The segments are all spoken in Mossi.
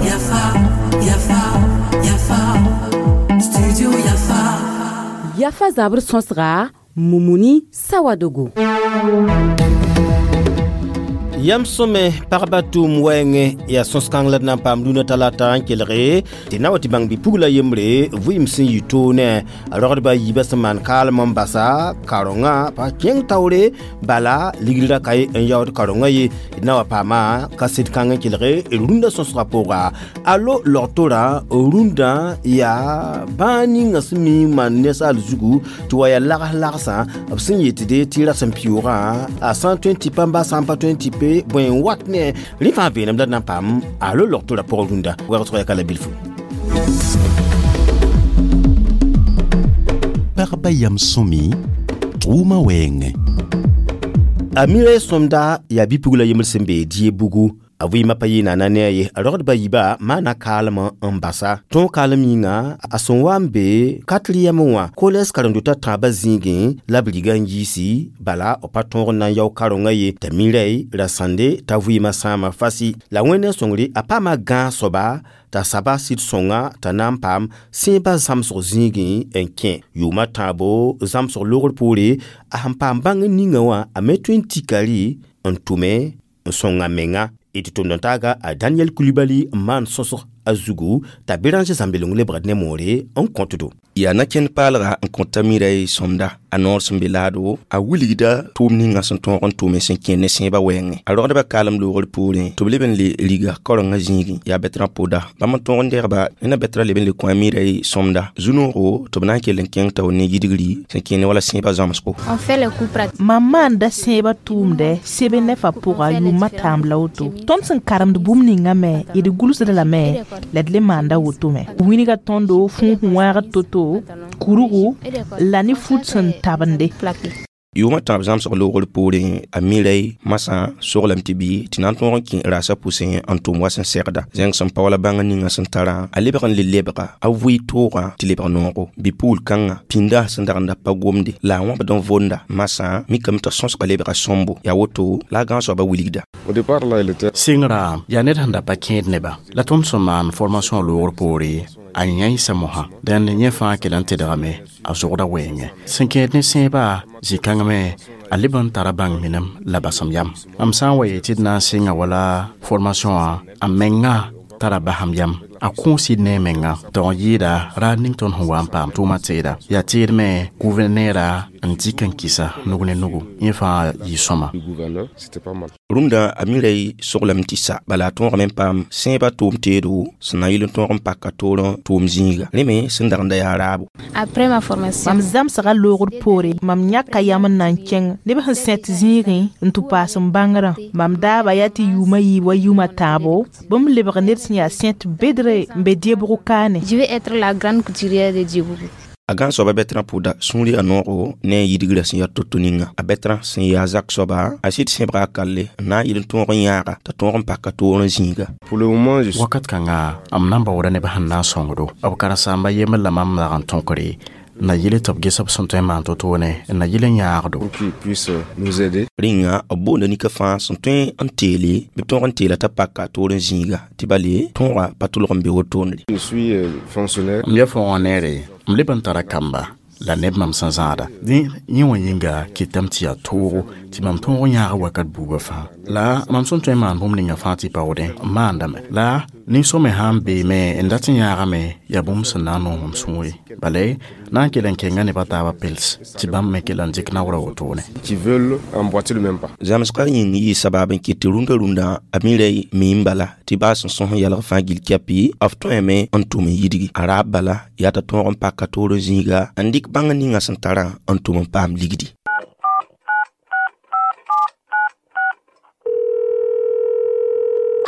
Yafa, Yafa, Yafa, Studio Yafa. Yafa zabr sõsga Mumuni Sawadogo. Yam sõme pagba tʋʋm wɛɛngẽ yaa sõs-kãng la d na n paam rũnã talata n kelge tɩ na wa tɩ bãng bɩ-pugla yembre vɩɩm sẽn yɩ toonẽ a rogdba a yiibã sẽn maan kaalem n basa karongã pa kẽng taoore bala ligd ra ka ye n yaood karongã ye d na wa paama kaset kãng n kelge d rũndã sõsgã pʋga alo log-torã rũndã yaa bãa ninga sẽn mi n maan ninsaal zugu tɩ wa yaa lags lagsã b sẽn yetde tɩ rasem pioogã a sã n tõe n tɩ pa n bas sã n pa tõe n tɩ pe bõe n wat ne rẽ fãa veenem la d na n paam alo log-torã pʋgã rũndã wɛgsg yaa ka la bilfu. Pagba yam sõmi tʋʋma wɛɛngẽ. A mira sõmda yaa bɩ-pugla yembr sẽn be die bugu a vɩɩmã pa yɩ naana ne a ye a rogdba yiibã maana kaalem n basa tõog kaalem yĩnga a sẽn wa n be quatrième wã collège karen-dotã tãabã zĩigẽ la b riga n yiisi bala b pa tõog n na n yao karengã ye t'a miray ra sãnde t'a vɩɩmã sãama fasi la wẽnd sõngre a paama gãag soaba t'a saba sɩd sõnga t'a na n paam sẽebã zãmsg zĩigẽ n kẽ yʋʋmã tãabo zãmsg logr poore a sẽn paam bãng ninga wã a me tõe n tika rɩ n tʋme n sõnga menga tɩ tʋmd n taaga a Daniel Kulibali n maan sõsg a zugu t'a Béranger zãmbeleng lebgd ne moore n kõtdo. Yaa na-kẽnd paalga n kõta miray sõmda a noor sẽn be laado a wilgda tʋʋm ninga sẽn tõog n tʋme sẽn kẽ ne sẽebã wɛɛngẽ a rogdbã kaalem loogr poorẽ tɩ b leb n le riga kaorengã zĩigẽ yaa bɛtrã pʋda bãmb n tõog n degba ned na bɛtrã leb n le kõ a miray sõmda zu-noogo tɩ b na n kell n kẽng tao ne yidgri sẽn kẽ ne wala sẽebã zãmsgo. Mam maanda sẽebã tʋʋmdɛ sebe nefã pʋga yʋʋmã tãamb la woto tõnd sẽn karemd bũmb ninga me d gʋlsda lame la d le maanda woto me wĩnga tõndo fũus wãagd to-to kurugu la ne fut sẽn tabende. Yʋʋmã tãab zãmsg loogr poorẽ a miray masã soglame tɩ bɩ tɩ na n tõog n kẽ raasã pʋsẽ n tʋm wa sẽn segda zẽng sẽn pa wala bãng ninga sẽn tarã a lebg n le lebga a vʋɩ toogã tɩ lebg noogo bɩ-puul kãngã pĩnda sẽn dag n da pa gomde la a wãbd n vonda masã mikame t'a sõsga lebga sõmbo yaa woto la a gãag soabã wilgda. Sɩngrã yaa ned sẽn da pa kẽed nebã la tõnd sẽn maan formation loogr poore a yãisa mosã dẽnd yẽ fãa kell n tedgame a zogda wɛɛngẽ sẽn kẽed ne sẽebã zĩ-kãng me a leb n tara bãng minem la basem yam mam sã n wa yet tɩ d na n sɩnga wala formation wã a menga tara basem yam a kõ sɩd ne a menga tɩ n yɩɩda raad ning tõnd sẽn wa n paam tʋʋmã teeda yaa teed me gʋvɛrnɛɛra n dɩk n kɩsa nug ne nugu yẽ fãa yɩ sõma. Rũndã a miray soglame tɩ sa bala a tõogame n paam sẽebã tʋʋm teedo sẽn na n yɩl n tõog n paka toorẽ tʋʋm zĩiga rẽ me sẽn dag n da yaa raabo. Mam zãmsga loogr poore mam yãka yam n na n kẽng neb sẽn sẽt zĩigẽ n tɩ paas n bãngrã mam daaba yaa tɩ yʋʋmã yiib wa yʋʋmã tãabo bũmb lebg ned sẽn yaa sẽt bedre n be Diebougou kaane. Je vais être la grande couturière de Diebougou. A gãag soaba bɛtrã pʋda sũur yaa noogo ne a yidgrã sẽn yaa to-to ninga a bɛtrã sẽn yaa zak soaba a sɩd sẽbga a kalle n na n yɩl n tõog n yãaga t'a tõog n paka toor n zĩiga. Wakat kãnga m na n baooda neb sẽn na n sõngdo b karen-saamba yembr la mam dag n tõkre na yɩl tɩ b ges b sẽn tõe n maan to-toone n na yɩl n yãagdo. Rĩnga b boonda nika fãa sẽn tõe n teele bɩ b tõog n teela t'a paka toor n zĩiga tɩ bale tõogã pa tʋlg n be wotone. M yaa fõogã neere m leb n tara kamba la neb mam sẽn zãada dẽ yẽ wã yĩnga kɩtame tɩ yaa toogo tɩ mam tõog n yãag wakat buugã fãa la mam sẽn tõe n maan bũmb ninga fãa tɩ paoodẽ n maandame la nin-sõme sã n beeme n dat n yãagame yaa bũmb sẽn na n noog mam sũure bala na n kell n kenga nebã taabã pels tɩ bãmb me kell n dɩk naoorã wotone. Zãmsgã yĩng yɩɩ sabab n kɩt tɩ rũndã rũndã a miray miim bala tɩ baa sẽn sõs n yalg fãa gill kɛpɩ b tõeme n tʋm n yidgi a raab bala yaa t'a tõog n paka toor n zĩiga n dɩk bãng ninga sẽn tarã n tʋm n paam ligdi.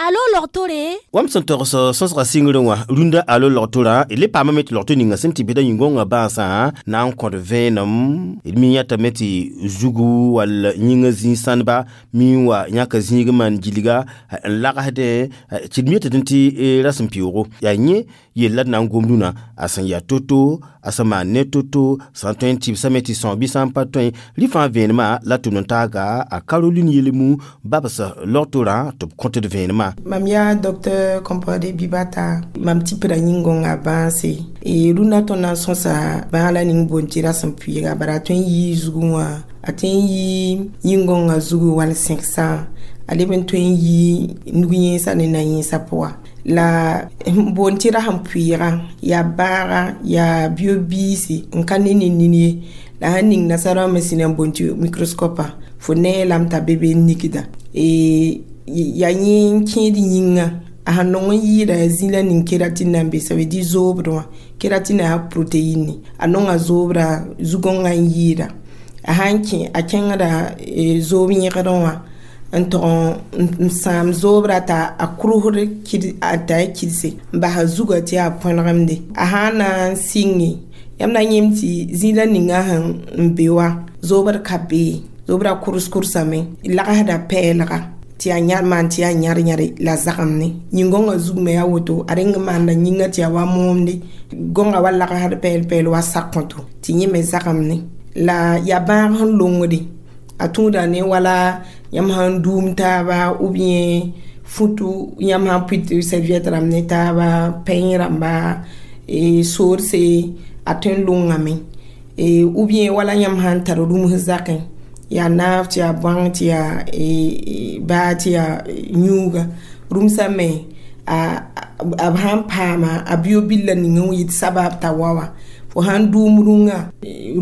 Alo log-tore Wam sẽn togs sõsga sɩngrẽ wã rũndã alo log-torã d le paamame tɩ log-to ninga sẽn tɩ bɩda yĩn-gõngã bãasã na n kõd vẽenem d mi yãtame tɩ zugu wall yĩngã zĩig sãndba mi n wa yãka zĩig n maan gilga n lagsdẽ tɩ d mi yetɩ tɩ rasem pɩʋʋgo yaa yẽ Yella d na n gom rũnã a sẽn yaa to-to, a sẽn maan ne to-to, sã n tõe n tɩbsame tɩ sõs bɩ sã n pa tõe. Rɩ fãa vẽenemã la tʋm n taaga a Caroline Yelemu babs logtorã tɩ b kõt d vẽenemã. Mam yaa docteur Compaoré Bibata, mam tipda yĩn-gõnga bãase. E rũndã tõnd na n sõsa bãag la ning boond tɩ rasem pʋɩɩga, bara a tõe n yii zugẽ wã, a tõe n yii yĩn-gõngã zugu wall sẽgsã, a leb n tõe n yii nug-yẽensã ne na-yẽensã pʋga. La n boond tɩ rasem pʋɩɩga yaa bãaga, yaa bio-biisi n ka ne ne nin ye. La sãn ning nasara me sẽn na n boond tɩ microscope, fo nee lame t'a be be n nikda. Yaa yẽ n kẽed yĩngã, a sãn nong n yɩɩda yaa zĩla ning kératine na n be, ça veut dire zoobd wã, kératine yaa protéine, a nonga zoobra zu-gõngã n yɩɩda. A sãn kẽ, a kẽngda zoob yẽgdẽ wã n tog n sãam zoobra t'a a krusd t'a ya kidse n basa zugã tɩ yaa põnegemde. A sã n na n sɩnge, yãmb na yẽem tɩ zĩla ninga sẽn n be wã zoobd ka be, zoobra kʋrs-kʋrsame, lagsda pɛɛlga tɩ yaa yãr maan tɩ yaa yãr-yãre la zagemne. Yĩn-gõngã zug me yaa woto, a reng n maanda yĩngã tɩ yaa wa moomde, gõngã wa lagsd pɛɛl-pɛɛl wa sak-kõto tɩ yẽ me zagemne. La yaa bãag sẽn longde, a tũuda ne wala yãmb sãn duum taaba ou bien futu yãmb sãn pʋɩt serviette rãmb ne taaba, peigne rãmba, soorse, a tõe n longame. Ou bien wala yãmb sãn tar rũms zakẽ, yaa naaf tɩ yaa bõang tɩ yaa baa tɩ yaa yũuga, rũmsã me b sãn paama a bio-billa ning n yɩt sabab t'a wa wã. Fo sãn dʋʋm rũngã,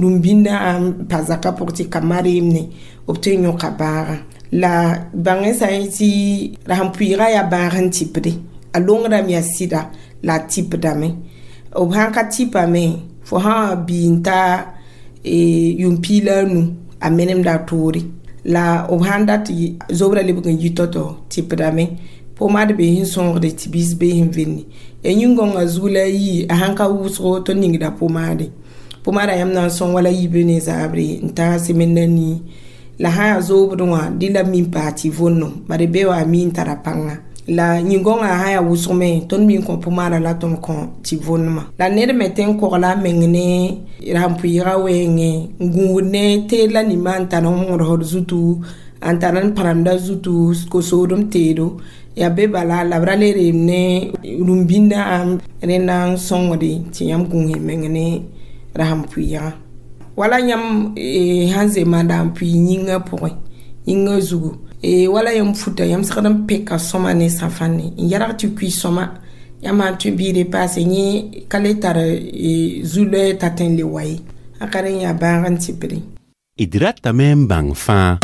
rũm-bĩndã n pa zakã pʋg tɩ ka mareemne, b tõe n yõka bãagã. La bãngẽ sã n tɩ rasem pʋɩɩga yaa bãag n tɩpde, a longdame yaa sɩda la a tɩpdame. B sãn ka tɩpame, fo sã n bii n ta yʋʋm piig la a nu, a menemda a toore. La b sãn dat zobra lebg n yi tao-tao tɩpdame. Pomade be sẽn sõogde tɩ biis be sẽn vende. Ya yĩn-gõngã zug la a yii, a sãn ka wʋsgo tõnd ningda pomade. Pomada yãmb na n sõng wala yibe ne zaabre n tãag semaine a nii. La sã yaa zoobdẽ wã, dẽ la mi n paas tɩ vonno, bare be wa a mi n tara pãnga. La yĩn-gõngã sã yaa wʋsg me, tõnd mi n kõ pomada la tõnd kõ tɩ vonnema. La ned me tõe n kogla a meng ne rasem pʋɩɩga wɛɛngẽ, n gũud ne teed la nimã n tar n wõgsd zutu, n tar n pãremda zutu, ko-soodem teedo. Yaa be bala la b ra le reem ne rũm-bĩndã rẽnda n sõngde tɩ yãmb gũus y meng ne rasem pʋɩɩgã. Wala yãmb sãn zeema n pʋɩ yĩngã pʋgẽ, yĩngã zugu, wala yãmb futa, yãmb segd n peka sõma ne sãfãnne n yɛrg tɩ kui sõma. Yãmb sãn tõe biide paase, yẽ ka le tar zu-loɛɛ t'a tõe n le wa ye. A ka rẽ yaa bãag n tɩpde. D ratame n bãng fãa.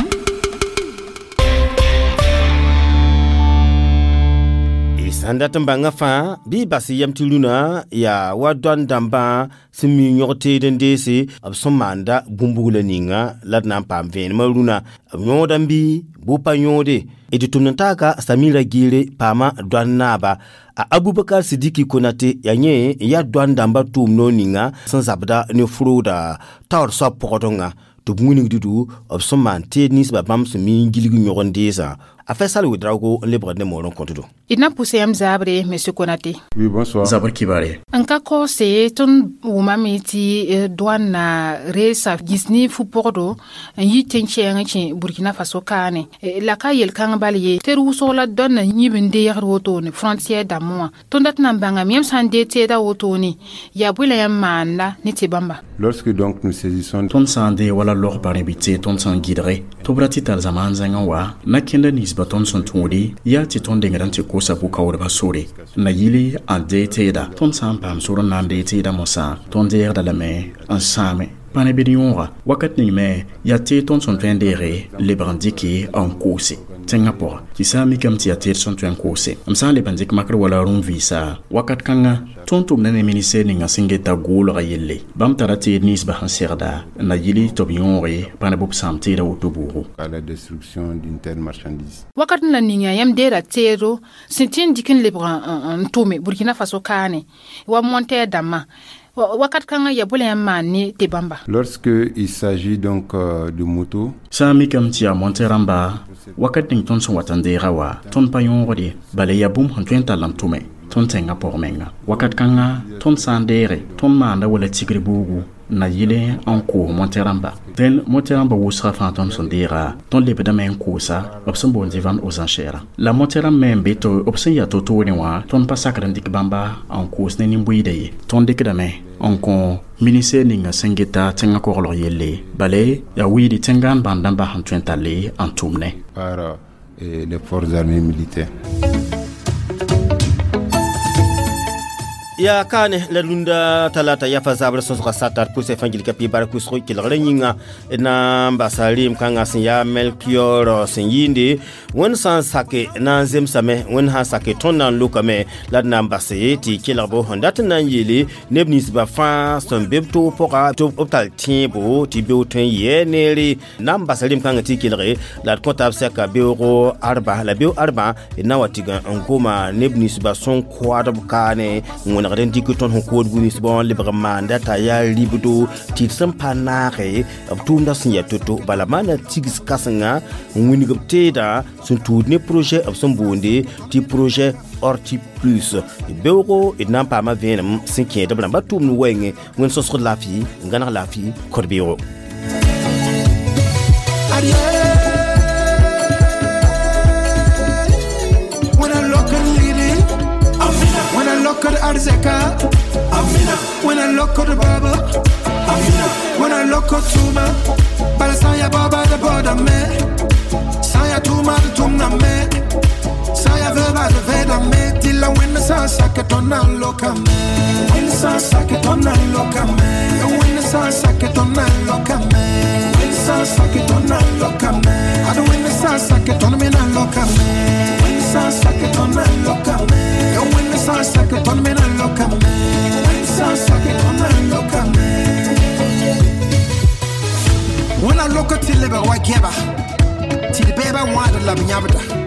Sãn dat n bãngã fãa bɩ bas yam tɩ rũnã yaa wa dõan dãmbã sẽn mi yõg teed n deese b sẽn maanda bũmb-bugla ninga la d na n paam vẽenemã rũnã. B yõodame bɩ bʋ pa yõode. D tʋmd n taaga Samira Giire paama dõan naaba. A Abubakar Sidiki Konate yaa yẽ n yaa dõan dãmbã tʋʋm noor ninga sẽn zabda ne frooda taoor soab pɔgdengã tɩ b wilgd-du b sẽn maan teed ninsbã bãmb sẽn mi n gilg yõg n deesã. A Faisal Ouedraogo n lebgd ne moor n kõtdo. D na n pʋsa yãmb zaabre, monsieur Konate. Oui, bonsoir. Zabr kibare. N ka kaoose tõnd wʋmame tɩ douane na reesa gĩs ne fu-pɔgdo n yi tẽn-kɛɛng kẽ Burkina Faso kaane. La ka yel-kãng bal ye tɩ d wʋsg la dõan na yĩb n deegd wotone frontière dãmbẽ wã. Tõnd dat n na n bãngame yãmb sã n deeg teeda wotone yaa bõe la yãmb maanda ne tɩ bãmba. Lorsque donc nous saisissons Tõnd sã n deeg wala log barẽ bɩ tee tõnd sẽn gɩdge tɩ b ra tɩ tar zamaan zãngã wa na kẽnda ninsba tõnd sẽn tũudi yaa tɩ tõnd dengd n tɩ kosa bʋ-kaoodbã sore na yili n deeg teeda. Tõnd sã n paam sor n na n deeg teeda mosã, tõnd deegda lame n sãame pa ne bɩd yõoga. Wakat ning me yaa teed tõnd sẽn tõe n deege lebg n dɩke n koose tẽngã pʋga. Tɩ sã n mikame tɩ yaa teed sẽn tõe n koose. M sã n leb n dɩk makr wala rũm-vɩɩsa wakat kãngã, tõnd tʋmda ne ministɛr ninga sẽn geta goolga yelle. Bãmb tara teed ninsbã sẽn segda n na yili tɩ b yõoge pa ne b sãam teeda woto buugu. À la destruction d'une telle marchandise. Wakat n la ninga yãmb deera teedo sẽn tɩ n dɩk n lebg n tʋme Burkina Faso kaane wa montɛɛr dãmbã. Wakat kãngã yaa bõe la yãmb maan ne tɩ bãmba? Lorsque il s'agit donc de moto, Sã n mikame tɩ yaa monte rãmba, wakat ning tõnd sẽn wat n deega wa, tõnd pa yõogd ye, bala yaa bũmb sẽn tõe n tall n tʋme. Tõnd tẽngã pʋg menga wakat kãnga tõnd sã n deege tõnd maanda wala tigr buugu na yɩle n koos mote-rãmba dẽn mote-rãmbã wʋsgã fãa tõnd sẽn deega tõnd lebdame n koosa b sẽn boond tɩ vente aux enchères la mote-rãmb me n be tɩ b sẽn yaa to-toorẽ wã tõnd pa sakd n dɩk bãmba n koos ne nin-buiida ye tõnd dɩkdame n kõ ministɛr ninga sẽn geta tẽngã koglg yelle bale yaa wiidi tẽngãan bãnd n bas n tõe n talle n tʋm ne par les forces armées militaires. Ya kane la rũndã talata yafa zabr sõsga satar pʋsɛ fãa gilka pɩ bark wʋsg kelgrã yĩnga na n basa reem kãngã sẽn yaa melkior sẽn yɩɩnde wẽnd sã n sake na n zemsame wẽnd sã n sake tõnd na n lokame la d na n base tɩ kelgbo sẽn dat n na n yeele neb ninsbã fãa sẽn be b toog pʋga tɩ b tall tẽebo tɩ beoog tõe n yɛɛ neere na n basa reem kãngã tɩ kelge la d kõta b sɛka beoogo arba la beoog arba d na wa tɩg n goma neb ninsbã sẽn koadb kaane wẽnegd n dɩk tõnd sẽn kood bũmb bõ lebg n maanda t'a yaa ribdo tɩ d sẽn pa naage b tʋʋmdã sẽn yaa to-to bala maana tigs kãsenga n wilg b teedã sẽn tuud ne projet b sẽn boonde tɩ projet Horti Plus beoogo d na n paama vẽenem sẽn kẽed b rãmba tʋʋmd wɛɛngẽ wẽnd sõsgd laafɩ n gãneg laafɩ kod-beoogo. When I look at Arzeka, Amina. When I look at the Baba, Amina. When I look at Tuma, Balasaya Baba the border me, Saya Tuma the Tumna me, Saya Veba the Veda me, till I win the Sun Sakatona look at me. Win the Sun Sakatona look at me. Win the Sun Sakatona look at me. Win the Sun Sakatona look at me. I don't win the Sun Sakatona me look at me. Win the Sun Sakatona look at me. Win the sun sakit on me na look at me. Win the sun sakit on me look at me. When I look at the liver, I give her. Till the baby want to love me.